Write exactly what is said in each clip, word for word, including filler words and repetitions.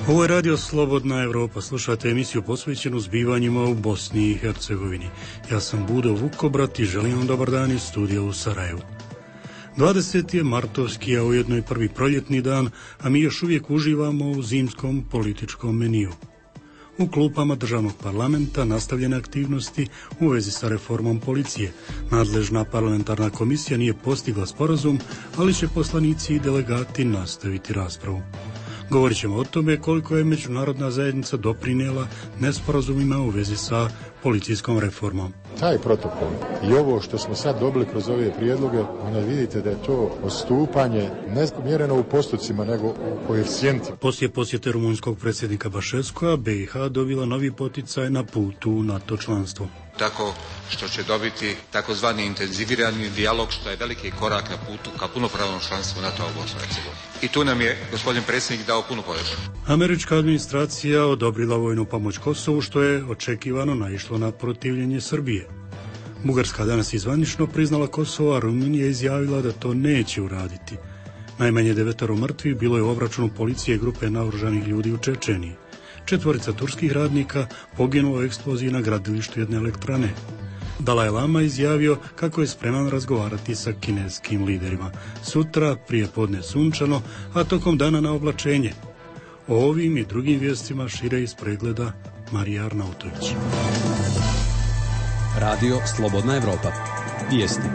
Ovo je Radio Slobodna Evropa. Slušate emisiju posvećenu zbivanjima u Bosni i Hercegovini. Ja sam Budo Vukobrat i želim vam dobar dan iz studija u Sarajevu. dvadeseti je martovski, a ujedno i prvi proljetni dan, a mi još uvijek uživamo u zimskom političkom meniju. U klupama državnog parlamenta nastavljene aktivnosti u vezi sa reformom policije. Nadležna parlamentarna komisija nije postigla sporazum, ali će poslanici i delegati nastaviti raspravu. Govorit ćemo o tome koliko je međunarodna zajednica doprinijela nesporazumima u vezi sa policijskom reformom. Taj protokol i ovo što smo sad dobili kroz ove prijedloge, onda vidite da je to odstupanje ne mjereno u postocima, nego u koeficijentima. Poslije posjete rumunjskog predsjednika Bašeskova, B i H dobila novi poticaj na putu u NATO članstvo. Tako što će dobiti takozvani intenzivirani dijalog, što je veliki korak na putu ka punopravnom članstvu NATO-a u Bosni i Hercegovini. I tu nam je gospodin predsjednik dao punu podršku. Američka administracija odobrila vojnu pomoć Kosovu, što je očekivano naišlo na protivljenje Srbije. Bugarska danas izvanično priznala Kosovo, a Rumunija izjavila da to neće uraditi. Najmanje devetoro mrtvih bilo je u obračunu policije grupe naoružanih ljudi u Čečeniji. Četvorica turskih radnika poginulo u eksploziji na gradilištu jedne elektrane. Dalaj Lama izjavio kako je spreman razgovarati sa kineskim liderima. Sutra prije podne sunčano, a tokom dana na oblačenje. O ovim i drugim vijestima šire iz pregleda Marija Arnautović. Radio Slobodna Evropa. Vijesti.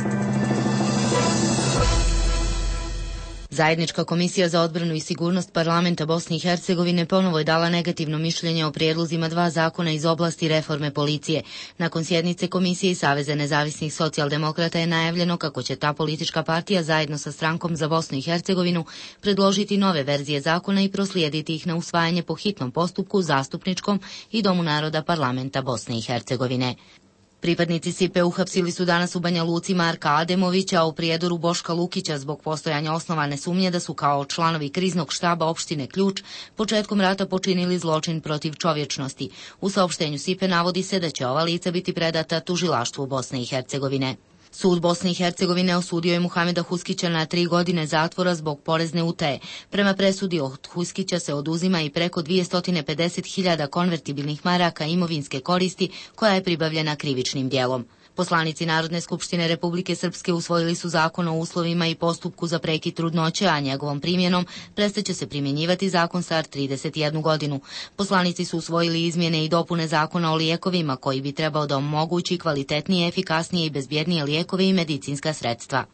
Zajednička komisija za odbranu i sigurnost parlamenta Bosne i Hercegovine ponovo je dala negativno mišljenje o prijedlozima dva zakona iz oblasti reforme policije. Nakon sjednice Komisije i Saveza nezavisnih socijaldemokrata je najavljeno kako će ta politička partija zajedno sa Strankom za Bosnu i Hercegovinu predložiti nove verzije zakona i proslijediti ih na usvajanje po hitnom postupku zastupničkom i Domu naroda parlamenta Bosne i Hercegovine. Pripadnici S I P E uhapsili su danas u Banja Luci Marka Ademovića, a u Prijedoru Boška Lukića zbog postojanja osnovane sumnje da su kao članovi kriznog štaba opštine Ključ početkom rata počinili zločin protiv čovječnosti. U saopštenju S I P E navodi se da će ova lica biti predata tužilaštvu Bosne i Hercegovine. Sud Bosne i Hercegovine osudio je Muhameda Huskića na tri godine zatvora zbog porezne utaje. Prema presudi od Huskića se oduzima i preko dvjesto pedeset hiljada konvertibilnih maraka imovinske koristi koja je pribavljena krivičnim djelom. Poslanici Narodne skupštine Republike Srpske usvojili su zakon o uslovima i postupku za prekid trudnoće, a njegovom primjenom prestaće se primjenjivati zakon star trideset jednu godinu. Poslanici su usvojili izmjene i dopune zakona o lijekovima koji bi trebao da omogući kvalitetnije, efikasnije i bezbjednije lijekove i medicinska sredstva.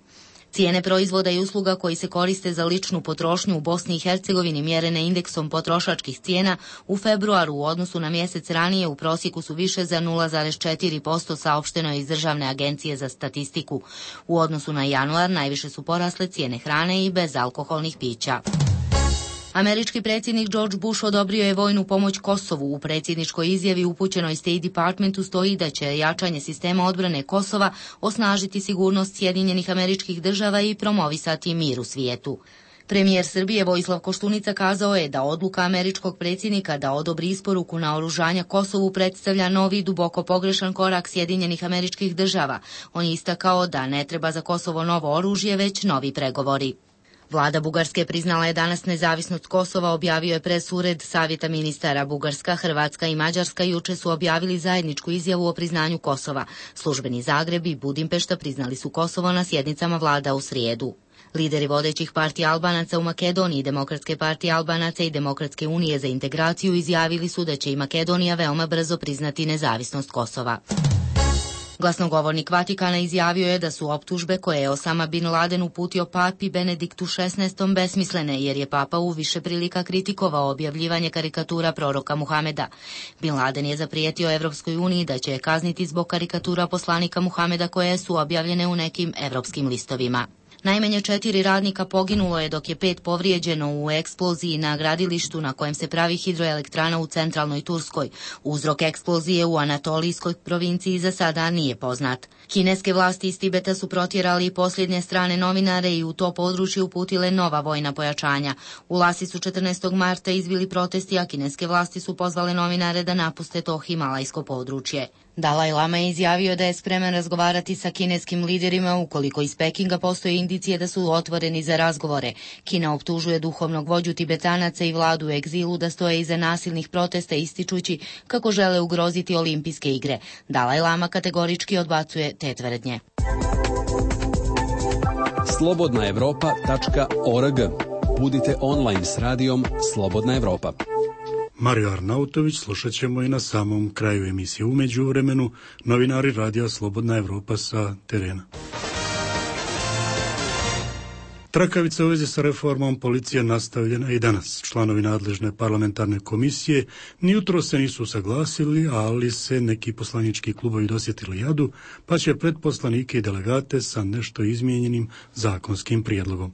Cijene proizvoda i usluga koji se koriste za ličnu potrošnju u Bosni i Hercegovini mjerene indeksom potrošačkih cijena u februaru u odnosu na mjesec ranije u prosjeku su više za nula zarez četiri posto, saopšteno je iz Državne agencije za statistiku. U odnosu na januar najviše su porasle cijene hrane i bezalkoholnih pića. Američki predsjednik George Bush odobrio je vojnu pomoć Kosovu. U predsjedničkoj izjavi upućenoj State Departmentu stoji da će jačanje sistema odbrane Kosova osnažiti sigurnost Sjedinjenih Američkih Država i promovisati mir u svijetu. Premijer Srbije Vojislav Koštunica kazao je da odluka američkog predsjednika da odobri isporuku naoružanja Kosovu predstavlja novi duboko pogrešan korak Sjedinjenih Američkih Država. On je istakao da ne treba za Kosovo novo oružje, već novi pregovori. Vlada Bugarske priznala je danas nezavisnost Kosova, objavio je pres ured Savjeta ministara. Bugarska, Hrvatska i Mađarska juče su objavili zajedničku izjavu o priznanju Kosova. Službeni Zagreb i Budimpešta priznali su Kosovo na sjednicama vlada u srijedu. Lideri vodećih partija Albanaca u Makedoniji, Demokratske partije Albanaca i Demokratske unije za integraciju izjavili su da će i Makedonija veoma brzo priznati nezavisnost Kosova. Glasnogovornik Vatikana izjavio je da su optužbe koje je Osama bin Laden uputio papi Benediktu šesnaestom besmislene, jer je papa u više prilika kritikovao objavljivanje karikatura proroka Muhameda. Bin Laden je zaprijetio Evropskoj uniji da će je kazniti zbog karikatura poslanika Muhameda koje su objavljene u nekim evropskim listovima. Najmanje četiri radnika poginulo je, dok je pet povrijeđeno u eksploziji na gradilištu na kojem se pravi hidroelektrana u centralnoj Turskoj. Uzrok eksplozije u Anatolijskoj provinciji za sada nije poznat. Kineske vlasti iz Tibeta su protjerali posljednje strane novinare i u to područje uputile nova vojna pojačanja. U Lasi su četrnaestog marta izbili protesti, a kineske vlasti su pozvale novinare da napuste to himalajsko područje. Dalaj Lama je izjavio da je spreman razgovarati sa kineskim liderima ukoliko iz Pekinga postoje indicije da su otvoreni za razgovore. Kina optužuje duhovnog vođu Tibetanaca i vladu u egzilu da stoje iza nasilnih protesta ističući kako žele ugroziti olimpijske igre. Dalaj Lama kategorički odbacuje te tvrdnje. slobodna evropa tačka org. Budite online s radijom Slobodna Evropa. Mario Arnautović slušat ćemo i na samom kraju emisije. U međuvremenu novinari radija Slobodna Evropa sa terena. Trakavica u vezi sa reformom policije nastavljena i danas. Članovi nadležne parlamentarne komisije ni jutro se nisu usaglasili, ali se neki poslanički klubovi dosjetili jadu, pa će pred poslanike i delegate sa nešto izmijenjenim zakonskim prijedlogom.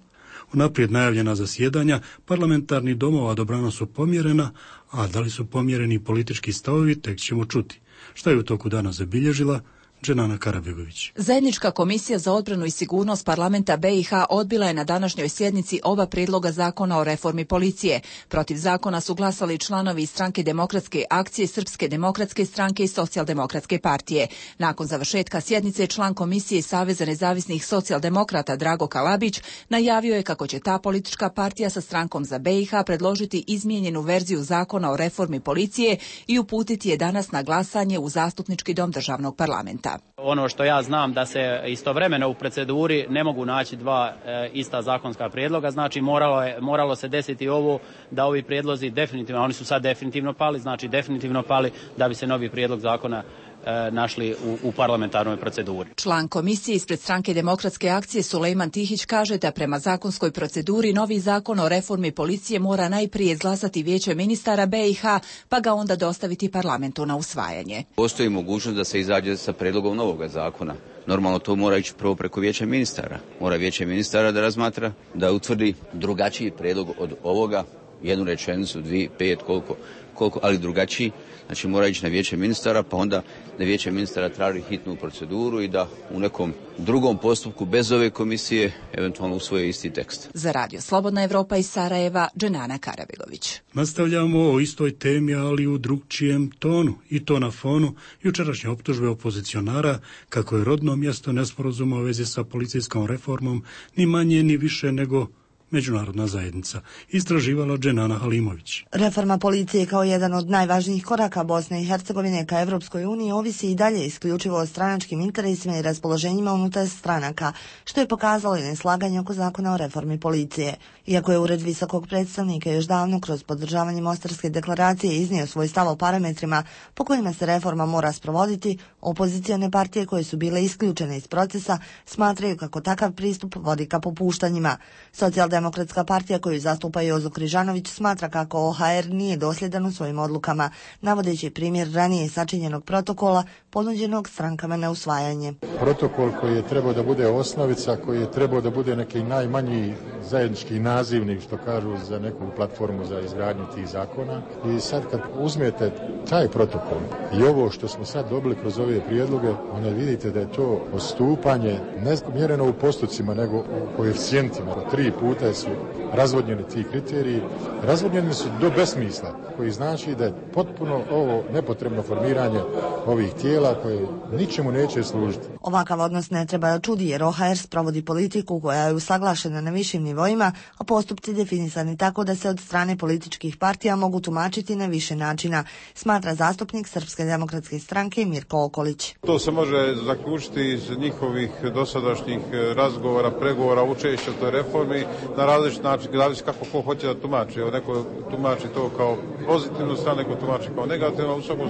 Unaprijed najavljena zasjedanja parlamentarnih domova dobrano su pomjerena, a da li su pomjereni politički stavovi, tek ćemo čuti. Šta je u toku dana zabilježila Dženana Karabegović. Zajednička komisija za odbranu i sigurnost parlamenta B i H odbila je na današnjoj sjednici oba prijedloga zakona o reformi policije. Protiv zakona su glasali članovi Stranke demokratske akcije, Srpske demokratske stranke i Socijaldemokratske partije. Nakon završetka sjednice član komisije Saveza nezavisnih socijaldemokrata Drago Kalabić najavio je kako će ta politička partija sa Strankom za B i H predložiti izmijenjenu verziju zakona o reformi policije i uputiti je danas na glasanje u Zastupnički dom državnog parlamenta. Ono što ja znam da se istovremeno u proceduri ne mogu naći dva e, ista zakonska prijedloga, znači moralo, je, moralo se desiti ovo da ovi prijedlozi definitivno, oni su sad definitivno pali, znači definitivno pali da bi se novi prijedlog zakona e, našli u, u parlamentarnoj proceduri. Član komisije ispred Stranke demokratske akcije Sulejman Tihić kaže da prema zakonskoj proceduri novi zakon o reformi policije mora najprije izglasati Vijeće ministara B i H, pa ga onda dostaviti parlamentu na usvajanje. Postoji mogućnost da se izađe sa predlogom novog zakona. Normalno to mora ići prvo preko Vijeća ministara. Mora Vijeće ministara da razmatra, da utvrdi drugačiji prijedlog od ovoga, jednu rečenicu, dvije, pet, koliko, koliko, ali drugačiji. Znači mora ići na Vijeće ministara, pa onda da Vijeće ministara traži hitnu proceduru i da u nekom drugom postupku bez ove komisije eventualno usvoje isti tekst. Za Radio Slobodna Evropa iz Sarajeva, Dženana Karabegović. Nastavljamo o istoj temi, ali u drugčijem tonu, i to na fonu jučerašnje optužbe opozicionara kako je rodno mjesto nesporazuma u vezi sa policijskom reformom ni manje ni više nego međunarodna zajednica, istraživala Dženana Halimović. Reforma policije kao jedan od najvažnijih koraka Bosne i Hercegovine ka Evropskoj uniji ovisi i dalje isključivo o stranačkim interesima i raspoloženjima unutar stranaka, što je pokazalo i neslaganje oko zakona o reformi policije. Iako je Ured visokog predstavnika još davno kroz podržavanje Mostarske deklaracije iznio svoj stav o parametrima po kojima se reforma mora sprovoditi, opozicione partije koje su bile isključene iz procesa smatraju kako takav pristup vodi ka popuštanjima. Socijaldemokratska partija koju zastupa Jozo Križanović smatra kako O H R nije dosljedan u svojim odlukama, navodeći primjer ranije sačinjenog protokola ponuđenog strankama na usvajanje. Protokol koji je trebao da bude osnovica, koji je trebao da bude neki najmanji zajednički nazivnik, što kažu, za neku platformu za izgradnju tih zakona. I sad kad uzmete taj protokol i ovo što smo sad dobili kroz ove prijedloge, onda vidite da je to odstupanje ne mjereno u postocima, nego u koeficijentima. Tri puta su razvodnjeni ti kriteriji. Razvodnjeni su do besmisla, koji znači da je potpuno ovo nepotrebno formiranje ovih tijela koje ničemu neće služiti. Ovakav odnos ne treba da čudi jer O H R sprovodi politiku koja je usaglašena na višim nivoima, a postupci definisani tako da se od strane političkih partija mogu tumačiti na više načina, smatra zastupnik Srpske demokratske stranke Mirko Okolić. To se može zaključiti iz njihovih dosadašnjih razgovora, pregovora, učešća u toj reformi na različit način, zavisi kako ko hoće da tumači. Evo, neko tumači to kao pozitivnu stranu, neko tumači kao negativno. U svakom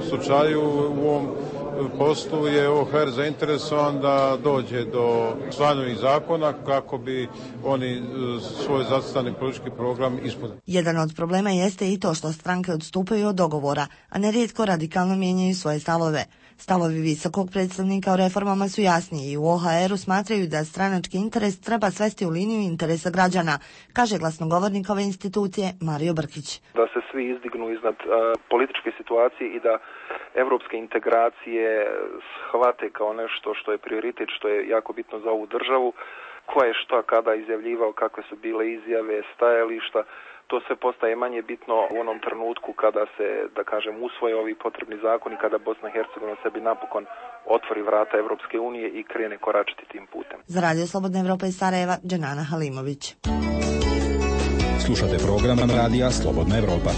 slučaju u ovom poslu je O H R zainteresovan da dođe do usvajanja zakona kako bi oni svoj zacrtani politički program ispunili. Jedan od problema jeste i to što stranke odstupaju od dogovora, a nerijetko radikalno mijenjaju svoje stavove. Stavovi visokog predstavnika o reformama su jasniji i u O H R-u smatraju da stranački interes treba svesti u liniju interesa građana, kaže glasnogovornik ove institucije Mario Brkić. Da se svi izdignu iznad uh, političke situacije i da evropske integracije shvate kao nešto što je prioritet, što je jako bitno za ovu državu, ko je šta kada izjavljivao, kakve su bile izjave, stajališta. to sve postaje manje bitno u onom trenutku kada se, da kažem, usvoje ovi potrebni zakoni, kada Bosna i Hercegovina sebi napokon otvori vrata Evropske unije i krene koračiti tim putem. Za Radio Slobodna Evropa iz Sarajeva, Dženana Halimović. Slušate program Radija Slobodna Evropa.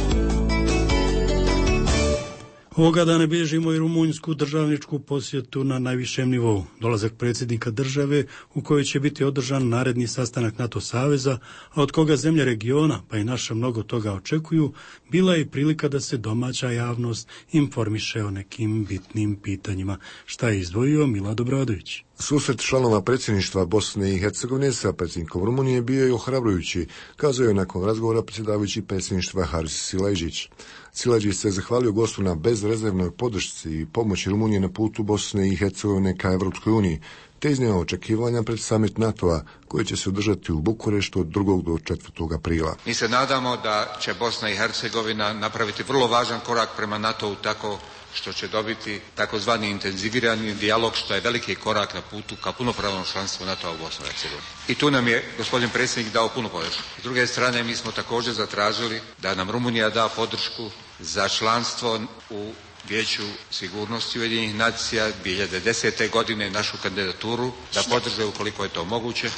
Ovoga dana bilježimo i rumunjsku državničku posjetu na najvišem nivou. Dolazak predsjednika države u kojoj će biti održan naredni sastanak NATO saveza, a od koga zemlje regiona, pa i naša mnogo toga očekuju, bila je i prilika da se domaća javnost informiše o nekim bitnim pitanjima. Šta je izdvojio Milad Obradović? Susret članova predsjedništva Bosne i Hercegovine sa predsjednikom Rumunije bio je ohrabrujući, kazao je nakon razgovora predsjedavajući predsjedništva Haris Silajđić. Silajđić se zahvalio gostu na bezrezervnoj podršci i pomoći Rumunije na putu Bosne i Hercegovine ka Evropskoj uniji, te iznio očekivanja pred summit NATO-a koji će se održati u Bukureštu od drugog do četvrtog aprila. Mi se nadamo da će Bosna i Hercegovina napraviti vrlo važan korak prema NATO-u tako što će dobiti takozvani intenzivirani dijalog, što je veliki korak na putu ka punopravnom članstvu NATO-a u Bosni i Hercegovini. I tu nam je gospodin predsjednik dao punu podršku. S druge strane, mi smo također zatražili da nam Rumunija da podršku za članstvo u Vijeću sigurnosti Ujedinjenih nacija dvije hiljade desete. godine, našu kandidaturu da podrže ukoliko je to moguće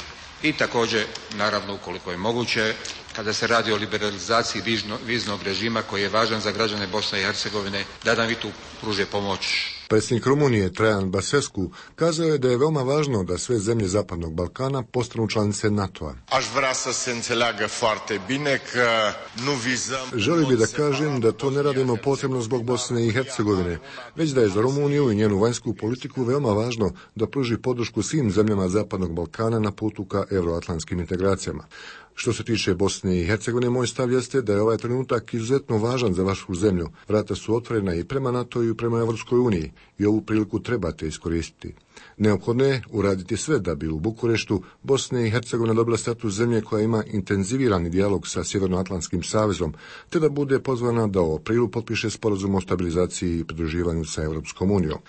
i također, naravno, ukoliko je moguće, kada se radi o liberalizaciji viznog režima koji je važan za građane Bosne i Hercegovine, da nam i tu pruže pomoć. Predsjednik Rumunije Traian Basescu kazao je da je veoma važno da sve zemlje Zapadnog Balkana postanu članice NATO-a. Želio bih da kažem da to ne radimo posebno zbog Bosne i Hercegovine, već da je za Rumuniju i njenu vanjsku politiku veoma važno da pruži podršku svim zemljama Zapadnog Balkana na putu ka euroatlantskim integracijama. Što se tiče Bosne i Hercegovine, moj stav jeste da je ovaj trenutak izuzetno važan za vašu zemlju. Vrata su otvorena i prema NATO i prema Evropskoj uniji i ovu priliku trebate iskoristiti. Neophodno je uraditi sve da bi u Bukureštu Bosna i Hercegovina dobila status zemlje koja ima intenzivirani dijalog sa Sjevernoatlantskim savezom, te da bude pozvana da u aprilu potpiše sporazum o stabilizaciji i pridruživanju sa Evropskom unijom.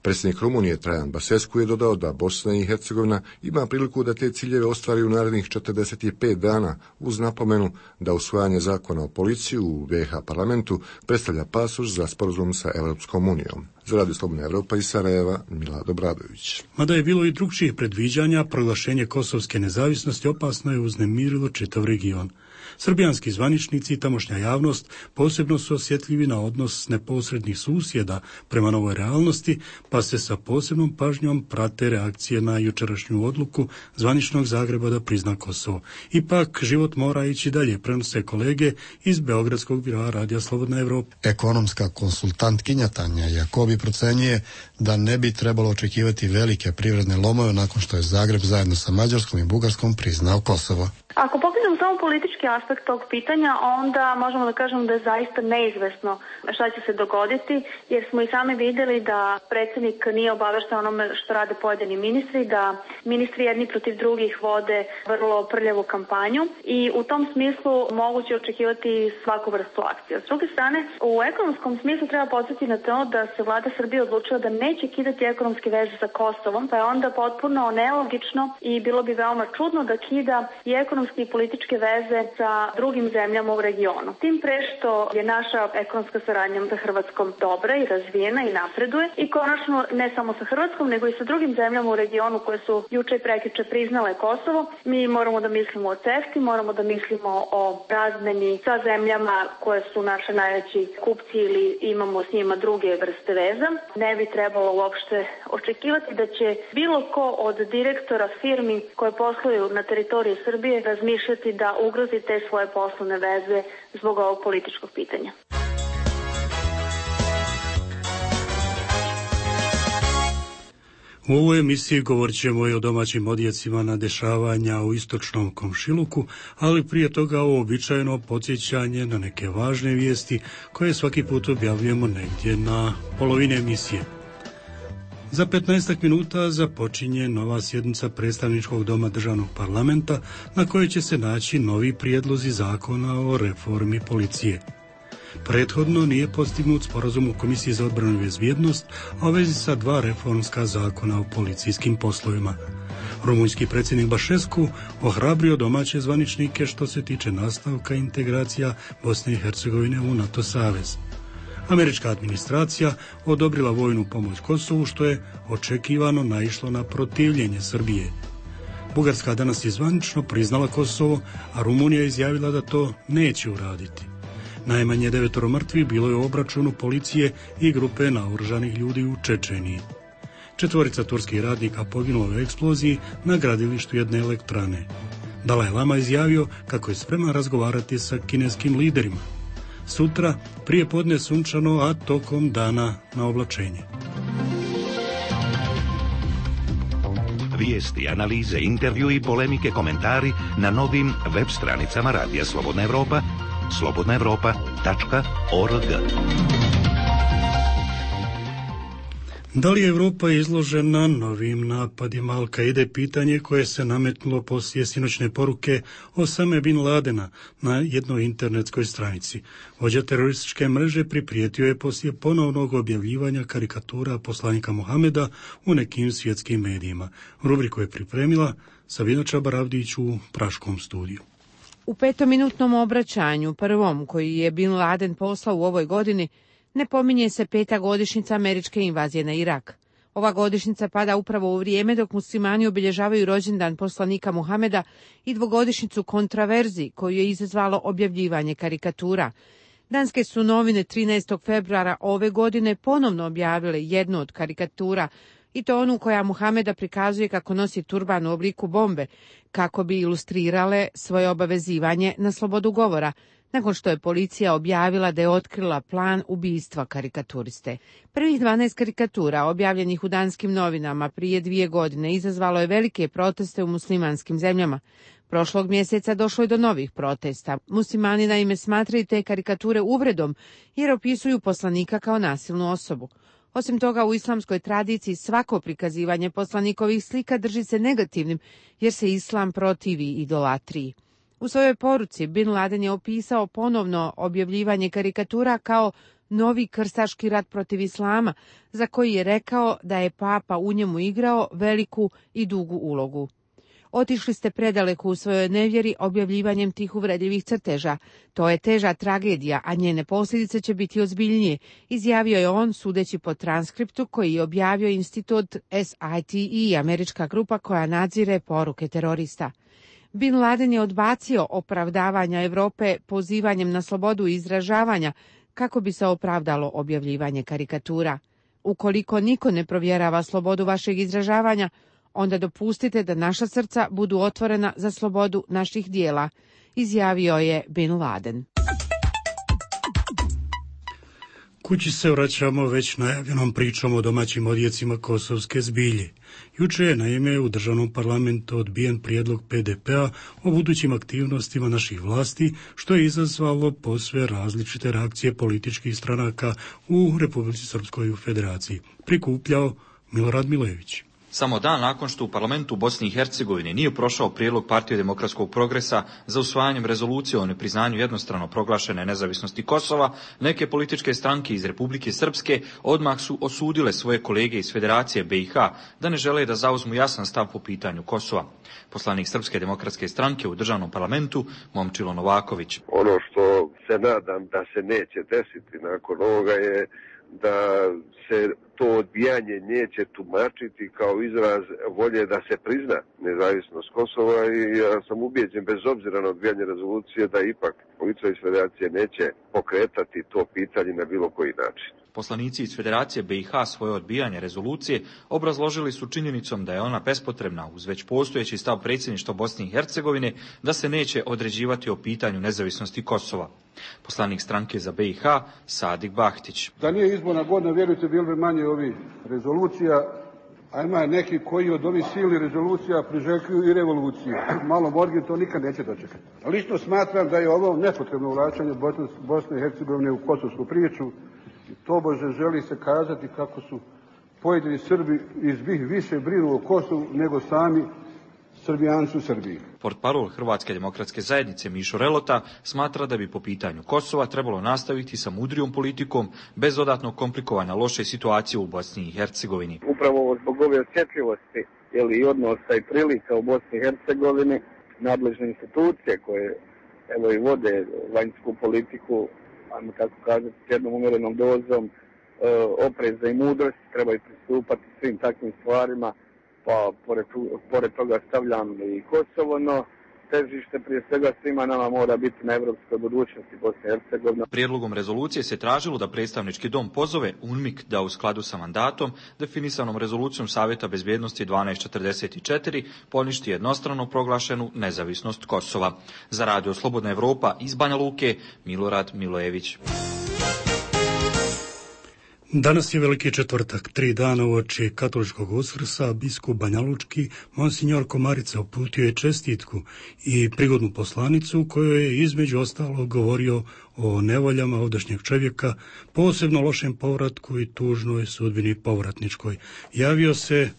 Predsjednik Rumunije Traian Basescu je dodao da Bosna i Hercegovina ima priliku da te ciljeve ostvari u narednih četrdeset pet dana, uz napomenu da usvajanje zakona o policiji u B iH parlamentu predstavlja pasoš za sporazum sa Evropskom unijom. Za Radio Slobodna Evropa iz Sarajeva, Milad Obradović. Mada je bilo i drugčijih predviđanja, proglašenje kosovske nezavisnosti opasno je uznemirilo čitav region. Srbijanski zvaničnici i tamošnja javnost posebno su osjetljivi na odnos neposrednih susjeda prema novoj realnosti, pa se sa posebnom pažnjom prate reakcije na jučerašnju odluku zvaničnog Zagreba da prizna Kosovo. Ipak, život mora ići dalje, prenose kolege iz Beogradskog biroa Radija Slobodna Evropa. Ekonomska konsultantkinja Tanja Jakobi procenjuje da ne bi trebalo očekivati velike privredne lomove nakon što je Zagreb zajedno sa Mađarskom i Bugarskom priznao Kosovo. Ako pogledamo samo politički aspekt tog pitanja, onda možemo da kažemo da je zaista neizvesno šta će se dogoditi, jer smo i sami vidjeli da predsjednik nije obavešten onome što rade pojedini ministri, da ministri jedni protiv drugih vode vrlo prljavu kampanju i u tom smislu moguće očekivati svaku vrstu akcije. S druge strane, u ekonomskom smislu treba podsjetiti na to da se vlada Srbije odlučila da neće kidati ekonomske veze sa Kosovom, pa je onda potpuno nelogično i bilo bi veoma čudno da kida i ekonomske i političke veze sa drugim zemljama u regionu. Tim pre što je naša ekonomska saradnja sa Hrvatskom dobra i razvijena i napreduje i konačno ne samo sa Hrvatskom nego i sa drugim zemljama u regionu koje su juče i prekjuče priznale Kosovo. Mi moramo da mislimo o CEFTA, moramo da mislimo o razmeni sa zemljama koje su naše najveći kupci ili imamo s njima druge vrste veza. Ne bi trebalo uopšte očekivati da će bilo ko od direktora firmi koje posluju na teritoriji Srbije razmišljati da ugrozi te svoje poslovne veze zbog ovog političkog pitanja. U ovoj emisiji govorit ćemo i o domaćim odjecima na dešavanja u istočnom komšiluku, ali prije toga uobičajeno podsjećanje na neke važne vijesti koje svaki put objavljujemo negdje na polovine emisije. Za petnaestak minuta započinje nova sjednica predstavničkog doma državnog parlamenta na kojoj će se naći novi prijedlozi zakona o reformi policije. Prethodno nije postignut sporazum u Komisiji za odbranu i bezbjednost, a u vezi sa dva reformska zakona o policijskim poslovima. Rumunjski predsjednik Bašescu ohrabrio domaće zvaničnike što se tiče nastavka integracija Bosne i Hercegovine u NATO savez. Američka administracija odobrila vojnu pomoć Kosovu, što je očekivano naišlo na protivljenje Srbije. Bugarska danas je zvanično priznala Kosovo, a Rumunija izjavila da to neće uraditi. Najmanje devetoro mrtvih bilo je u obračunu policije i grupe naoružanih ljudi u Čečeniji. Četvorica turskih radnika poginulo u eksploziji na gradilištu jedne elektrane. Dalaj Lama izjavio kako je spreman razgovarati sa kineskim liderima. Sutra prije podne sunčano, a tokom dana na oblačenje. Vijesti, analize, intervju i polemike, komentari na novim web stranicama Radija Slobodna Evropa, slobodna evropa tačka org. Da li je Evropa izložena novim napadima Al-Kaide, pitanje koje se nametnulo poslije sinoćne poruke Osame bin Ladena na jednoj internetskoj stranici. Vođa terorističke mreže priprijetio je poslije ponovnog objavljivanja karikatura poslanika Mohameda u nekim svjetskim medijima. Rubriku je pripremila Sabina Čabaravdić u Praškom studiju. U petominutnom obraćanju, prvom koji je bin Laden poslao u ovoj godini, ne pominje se peta godišnjica američke invazije na Irak. Ova godišnjica pada upravo u vrijeme dok muslimani obilježavaju rođendan poslanika Muhameda i dvogodišnjicu kontraverzi koju je izazvalo objavljivanje karikatura. Danske su novine trinaestog februara ove godine ponovno objavile jednu od karikatura, i to onu koja Muhameda prikazuje kako nosi turban u obliku bombe, kako bi ilustrirale svoje obavezivanje na slobodu govora, nakon što je policija objavila da je otkrila plan ubijstva karikaturiste. Prvih dvanaest karikatura objavljenih u danskim novinama prije dvije godine izazvalo je velike proteste u muslimanskim zemljama. Prošlog mjeseca došlo je do novih protesta. Muslimani naime smatraju te karikature uvredom jer opisuju poslanika kao nasilnu osobu. Osim toga, u islamskoj tradiciji svako prikazivanje poslanikovih slika drži se negativnim jer se islam protivi idolatriji. U svojoj poruci bin Laden je opisao ponovno objavljivanje karikatura kao novi krstaški rat protiv islama, za koji je rekao da je papa u njemu igrao veliku i dugu ulogu. Otišli ste predaleko u svojoj nevjeri objavljivanjem tih uvredljivih crteža. To je teža tragedija, a njene posljedice će biti ozbiljnije, izjavio je on sudeći po transkriptu koji je objavio institut S I T E, američka grupa koja nadzire poruke terorista. Bin Laden je odbacio opravdavanja Europe pozivanjem na slobodu izražavanja kako bi se opravdalo objavljivanje karikatura. Ukoliko niko ne provjerava slobodu vašeg izražavanja, onda dopustite da naša srca budu otvorena za slobodu naših dijela, izjavio je bin Laden. Kući se vraćamo već najavljenom pričom o domaćim odjecima kosovske zbilje. Juče je naime u državnom parlamentu odbijen prijedlog P D P-a o budućim aktivnostima naših vlasti, što je izazvalo posve različite reakcije političkih stranaka u Republici Srpskoj i u Federaciji. Prikupljao Milorad Milojević. Samo dan nakon što u parlamentu Bosne i Hercegovine nije prošao prijedlog Partije demokratskog progresa za usvajanjem rezolucije o nepriznanju jednostrano proglašene nezavisnosti Kosova, neke političke stranke iz Republike Srpske odmah su osudile svoje kolege iz Federacije B i H da ne žele da zauzmu jasan stav po pitanju Kosova. Poslanik Srpske demokratske stranke u državnom parlamentu Momčilo Novaković. Ono što se nadam da se neće desiti nakon ovoga je da se to odbijanje neće tumačiti kao izraz volje da se prizna nezavisnost Kosova i ja sam ubijeđen bez obzira na odbijanje rezolucije da ipak policija iz Federacije neće pokretati to pitanje na bilo koji način. Poslanici iz Federacije B i H svoje odbijanje rezolucije obrazložili su činjenicom da je ona bespotrebna uz već postojeći stav predsjedništva Bosne i Hercegovine da se neće određivati o pitanju nezavisnosti Kosova. Poslanik stranke za B i H Sadik Bahtić. Da nije izborna godina, vjerujte, bilo bi manje ovih rezolucija, a ima neki koji od ovih silnih rezolucija priželjkuju i revoluciju. Malo Morgan to nikad neće dočekati. Lično smatram da je ovo nepotrebno uvlačenje Bosne i Hercegovine u kosovsku priču. Tobože želi se kazati kako su pojedini Srbi iz BiH više brinu o Kosovu nego sami Srbijanci u Srbiji. Portparol Hrvatske demokratske zajednice Mišo Relota smatra da bi po pitanju Kosova trebalo nastaviti sa mudrijom politikom bez dodatnog komplikovanja loše situacije u Bosni i Hercegovini. Upravo zbog ove osjetljivosti i odnosa i prilika u Bosni i Hercegovini, nadležne institucije koje evo i vode vanjsku politiku, ajmo tako kazati, s jednom umjerenom dozom e, opreza i mudrosti, trebaju pristupati svim takvim stvarima, pa pored, pored toga stavljam i Kosovo, no težište prije svega svima nama mora biti na evropskoj budućnosti Bosne i Hercegovine. Prijedlogom rezolucije se tražilo da predstavnički dom pozove UNMIK da u skladu sa mandatom, definisanom rezolucijom Savjeta bezbjednosti dvanaest četrdeset četiri, poništi jednostrano proglašenu nezavisnost Kosova. Za Radio Slobodna Evropa iz Banja Luke, Milorad Milojević. Danas je Veliki četvrtak, tri dana uoči katoličkog Uskrsa, biskup banjalučki Monsignor Komarica uputio je čestitku i prigodnu poslanicu u kojoj je između ostalog govorio o nevoljama ovdašnjeg čovjeka, posebno lošem povratku i tužnoj sudbini povratničkoj. Javio se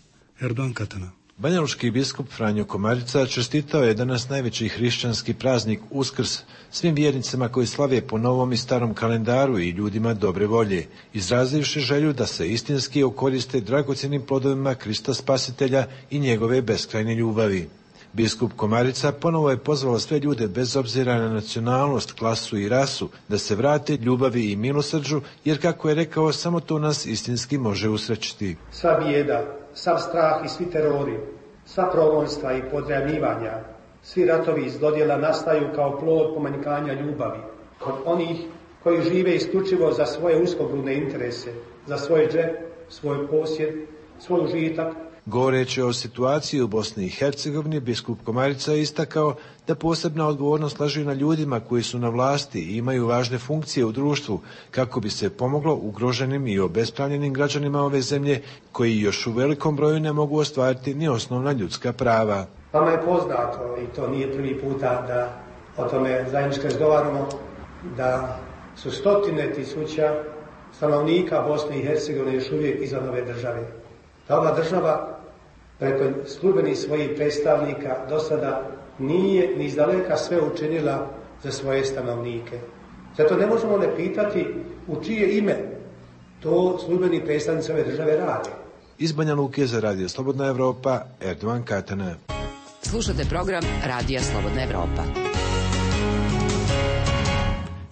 Erdogan Katana. Banjalučki biskup Franjo Komarica čestitao je danas najveći hrišćanski praznik Uskrs svim vjernicima koji slave po novom i starom kalendaru i ljudima dobre volje, izrazivši želju da se istinski okoriste dragocjenim plodovima Krista Spasitelja i njegove beskrajne ljubavi. Biskup Komarica ponovo je pozvao sve ljude bez obzira na nacionalnost, klasu i rasu da se vrate ljubavi i milosrđu, jer kako je rekao, samo to nas istinski može usrećiti. Sva bijeda, sav strah i svi terori, sva progonstva i podremljivanja, svi ratovi iz dodjela nastaju kao plod pomanjkanja ljubavi kod onih koji žive isključivo za svoje uskogrudne interese, za svoj džep, svoj posjed, svoj užitak. Govoreći o situaciji u Bosni i Hercegovini, biskup Komarica je istakao da posebna odgovornost leži na ljudima koji su na vlasti i imaju važne funkcije u društvu kako bi se pomoglo ugroženim i obespravljenim građanima ove zemlje koji još u velikom broju ne mogu ostvariti ni osnovna ljudska prava. Vama je poznato, i to nije prvi puta da o tome zajednički razgovaramo, da su stotine tisuća stanovnika Bosne i Hercegovine još uvijek izvan ove države. Da ova država preko službenih svojih predstavnika do sada nije ni izdaleka sve učinila za svoje stanovnike. Zato ne možemo ne pitati u čije ime to službeni predstavnici ove države rade. Iz Banja Luke za Radio Slobodna Evropa, Erdogan Katana. Slušate program Radija Slobodna Evropa.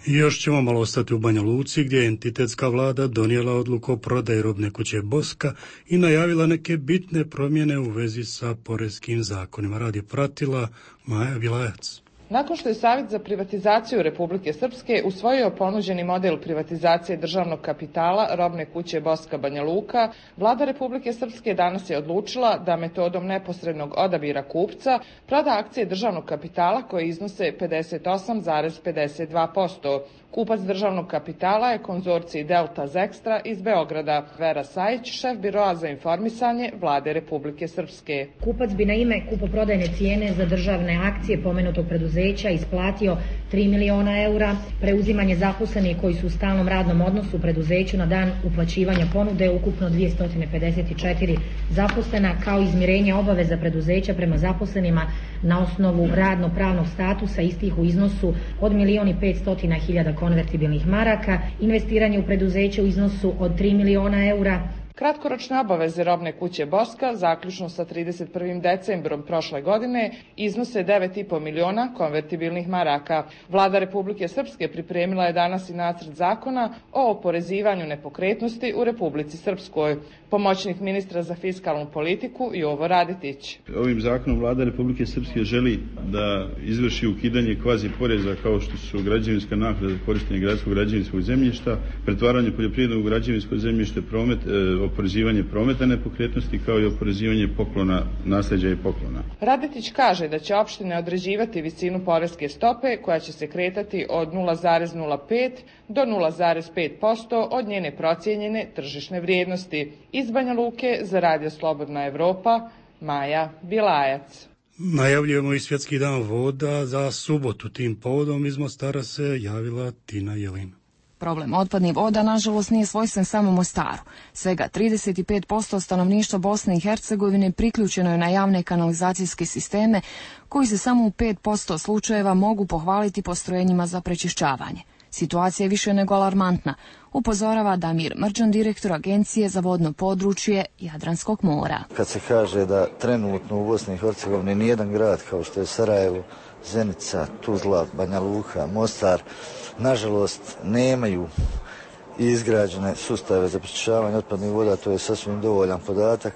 I još ćemo malo ostati u Banja Luci, gdje je entitetska vlada donijela odluku o prodaji robne kuće Boska i najavila neke bitne promjene u vezi sa poreskim zakonima. Radi pratila Maja Vilajac. Nakon što je Savjet za privatizaciju Republike Srpske usvojio ponuđeni model privatizacije državnog kapitala robne kuće Boska Banja Luka, vlada Republike Srpske danas je odlučila da metodom neposrednog odabira kupca proda akcije državnog kapitala koje iznose pedeset osam zarez pedeset dva posto. Kupac državnog kapitala je konzorcij Delta Zextra iz Beograda. Vera Sajić, šef biroa za informisanje vlade Republike Srpske. Kupac bi na ime kupoprodajne cijene za državne akcije pomenutog preduzeća isplatio tri miliona eura, preuzimanje zaposlenih koji su u stalnom radnom odnosu u preduzeću na dan uplaćivanja ponude ukupno dvjesto pedeset četiri zaposlena, kao izmirenje obaveza preduzeća prema zaposlenima na osnovu radno-pravnog statusa istih u iznosu od milion i petsto hiljada konvertibilnih maraka, investiranje u preduzeće u iznosu od tri miliona eura. Kratkoročne obaveze robne kuće Boska, zaključno sa trideset prvim decembrom prošle godine, iznose devet i po miliona konvertibilnih maraka. Vlada Republike Srpske pripremila je danas i nacrt zakona o oporezivanju nepokretnosti u Republici Srpskoj. Pomoćnik ministra za fiskalnu politiku Jovo Raditić. Ovim zakonom Vlada Republike Srpske želi da izvrši ukidanje kvazi poreza kao što su građevinska naknada za korištenje gradskog građevinskog zemljišta, pretvaranje poljoprivrednog u građevinsko zemljište, promet, e, oporezivanje prometa nepokretnosti kao i oporezivanje poklona, nasljeđa i poklona. Raditić kaže da će opštine određivati visinu poreske stope koja će se kretati od nula zarez nula pet do nula zarez pet posto od njene procijenjene tržišne vrijednosti. Iz Banja Luke za Radio Slobodna Evropa, Maja Bilajac. Najavljujemo i Svjetski dan voda za subotu. Tim povodom iz Mostara se javila Tina Jelin. Problem otpadnih voda, nažalost, nije svojstven samo Mostaru. Svega trideset pet posto stanovništva Bosne i Hercegovine priključeno je na javne kanalizacijske sisteme, koji se samo u pet posto slučajeva mogu pohvaliti postrojenjima za prečišćavanje. Situacija je više nego alarmantna, upozorava Damir Mrđan, direktor Agencije za vodno područje Jadranskog mora. Kad se kaže da trenutno u Bosni i Hercegovini nijedan grad kao što je Sarajevo, Zenica, Tuzla, Banja Luka, Mostar, nažalost nemaju izgrađene sustave za prečišćavanje otpadnih voda, to je sasvim dovoljan podatak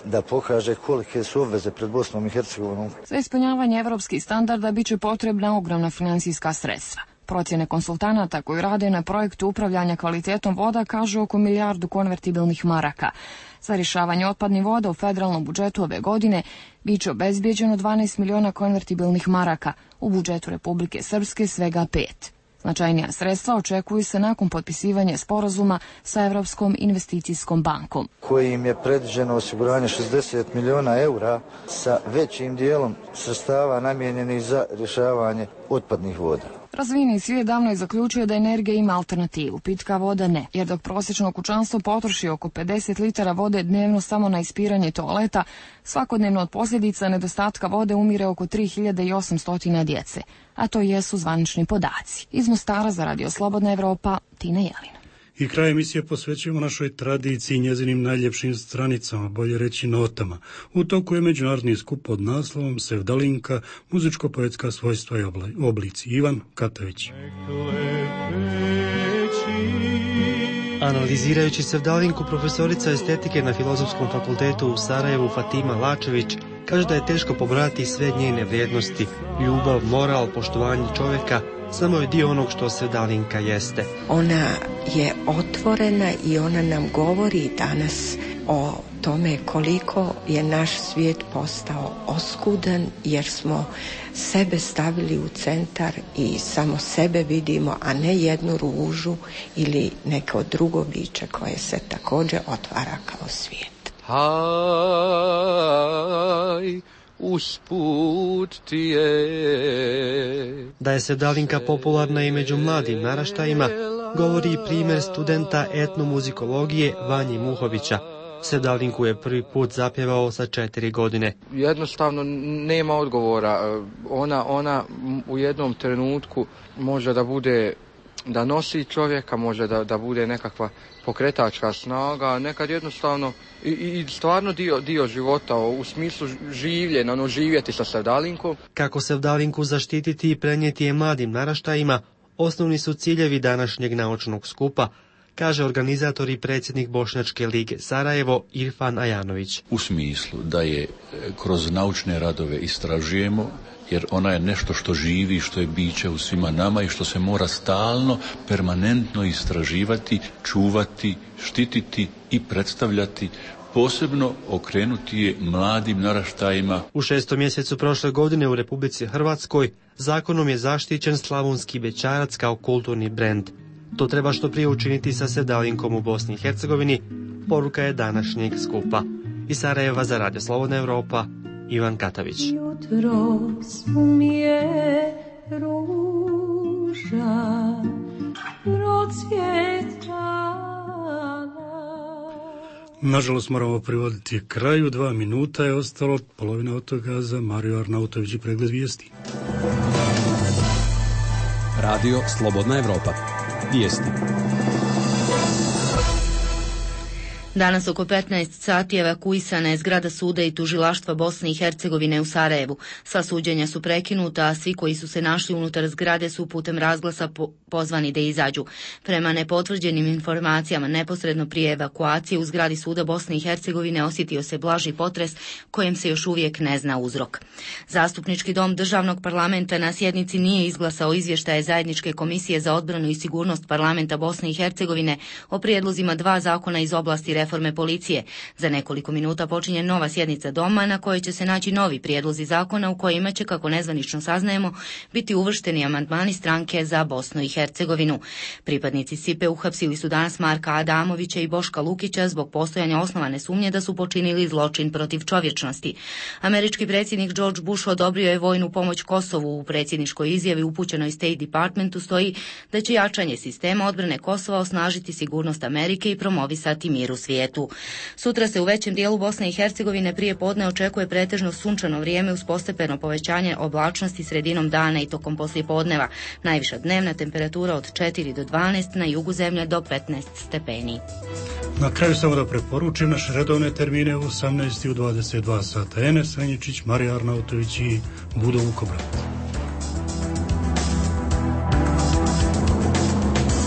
da pokaže kolike su obveze pred Bosnom i Hercegovinom. Za ispunjavanje evropskih standarda bit će potrebna ogromna financijska sredstva. Procjene konsultanata koji rade na projektu upravljanja kvalitetom voda kažu oko milijardu konvertibilnih maraka. Za rješavanje otpadnih voda u federalnom budžetu ove godine bit će obezbijeđeno dvanaest miliona konvertibilnih maraka, u budžetu Republike Srpske svega pet. Značajnija sredstva očekuju se nakon potpisivanja sporazuma sa Evropskom investicijskom bankom, kojim je predviđeno osiguranje šezdeset miliona eura sa većim dijelom sredstava namijenjenih za rješavanje otpadnih voda. Razvijeni svijet davno je zaključio da energija ima alternativu, pitka voda ne, jer dok prosječno kućanstvo potroši oko pedeset litara vode dnevno samo na ispiranje toaleta, svakodnevno od posljedica nedostatka vode umire oko tri hiljade osamsto djece, a to jesu zvanični podaci. Iz Mostara za Radio Slobodna Evropa, Tina Jelina. I kraj emisije posvećujemo našoj tradiciji i njezinim najljepšim stranicama, bolje reći notama. U toku je međunarodni skup pod naslovom Sevdalinka, muzičko-poetska svojstva i oblici. Ivan Katavić. Analizirajući Sevdalinku, profesorica estetike na Filozofskom fakultetu u Sarajevu Fatima Lačević kaže da je teško pobrojati sve njene vrijednosti, ljubav, moral, poštovanje čovjeka, samo je dio onog što Sevdalinka jeste. Ona je otvorena i ona nam govori danas o tome koliko je naš svijet postao oskudan jer smo sebe stavili u centar i samo sebe vidimo, a ne jednu ružu ili neko drugo biće koje se također otvara kao svijet. Haj, usput ti je. Da je Sevdalinka popularna i među mladim naraštajima, govori i primjer studenta etnomuzikologije Vanji Muhovića. Sevdalinku je prvi put zapjevao sa četiri godine. Jednostavno nema odgovora. Ona, ona u jednom trenutku može da bude, da nosi čovjeka, može da, da bude nekakva pokretačka snaga, nekad jednostavno i, i stvarno dio, dio života u smislu življenja, ono živjeti sa Sevdalinkom. Kako Sevdalinku zaštititi i prenijeti je mladim naraštajima, osnovni su ciljevi današnjeg naučnog skupa, kaže organizator i predsjednik Bošnjačke lige Sarajevo Irfan Ajanović. U smislu da je kroz naučne radove istražujemo, jer ona je nešto što živi, što je biće u svima nama i što se mora stalno, permanentno istraživati, čuvati, štititi i predstavljati, posebno okrenuti je mladim naraštajima. U šestom mjesecu prošle godine u Republici Hrvatskoj zakonom je zaštićen slavonski bećarac kao kulturni brend. To treba što prije učiniti sa Sevdalinkom u Bosni i Hercegovini, poruka je današnjeg skupa. Iz Sarajeva za Radio Slobodna Evropa, Ivan Katavić. Jutro smije ruža procvjetala. Nažalost moramo privoditi kraju, dva minuta je ostalo, polovina od toga za Mariju Arnautović i pregled vijesti. Radio Slobodna Evropa. Vijesti. Danas oko petnaest sati evakuisana je zgrada suda i tužilaštva Bosne i Hercegovine u Sarajevu. Sva suđenja su prekinuta, a svi koji su se našli unutar zgrade su putem razglasa po- pozvani da izađu. Prema nepotvrđenim informacijama, neposredno prije evakuacije u zgradi suda Bosne i Hercegovine osjetio se blaži potres kojem se još uvijek ne zna uzrok. Zastupnički dom državnog parlamenta na sjednici nije izglasao izvještaje Zajedničke komisije za odbranu i sigurnost parlamenta Bosne i Hercegovine o prijedlozima dva zakona iz oblasti reforme reforme policije. Za nekoliko minuta počinje nova sjednica doma na kojoj će se naći novi prijedlozi zakona u kojima će, kako nezvanično saznajemo, biti uvršteni amandmani stranke za Bosnu i Hercegovinu. Pripadnici S I P E uhapsili su danas Marka Adamovića i Boška Lukića zbog postojanja osnovane sumnje da su počinili zločin protiv čovječnosti. Američki predsjednik George Bush odobrio je vojnu pomoć Kosovu. U predsjedničkoj izjavi upućenoj State Departmentu stoji da će jačanje sistema odbrane Kosova osnažiti sigurnost Amerike i promovisati mir u svijetu. Sutra se u većem dijelu Bosne i Hercegovine prije podne očekuje pretežno sunčano vrijeme uz postepeno povećanje oblačnosti sredinom dana i tokom poslijepodneva. Najviša dnevna temperatura od četiri do dvanaest, na jugu zemlje do petnaest stepeni. Na kraju samo da preporučim naše redovne termine u osamnaest i u dvadeset dva sata. Enes Venjičić, Marija Arnautović i Budo Vukobrat.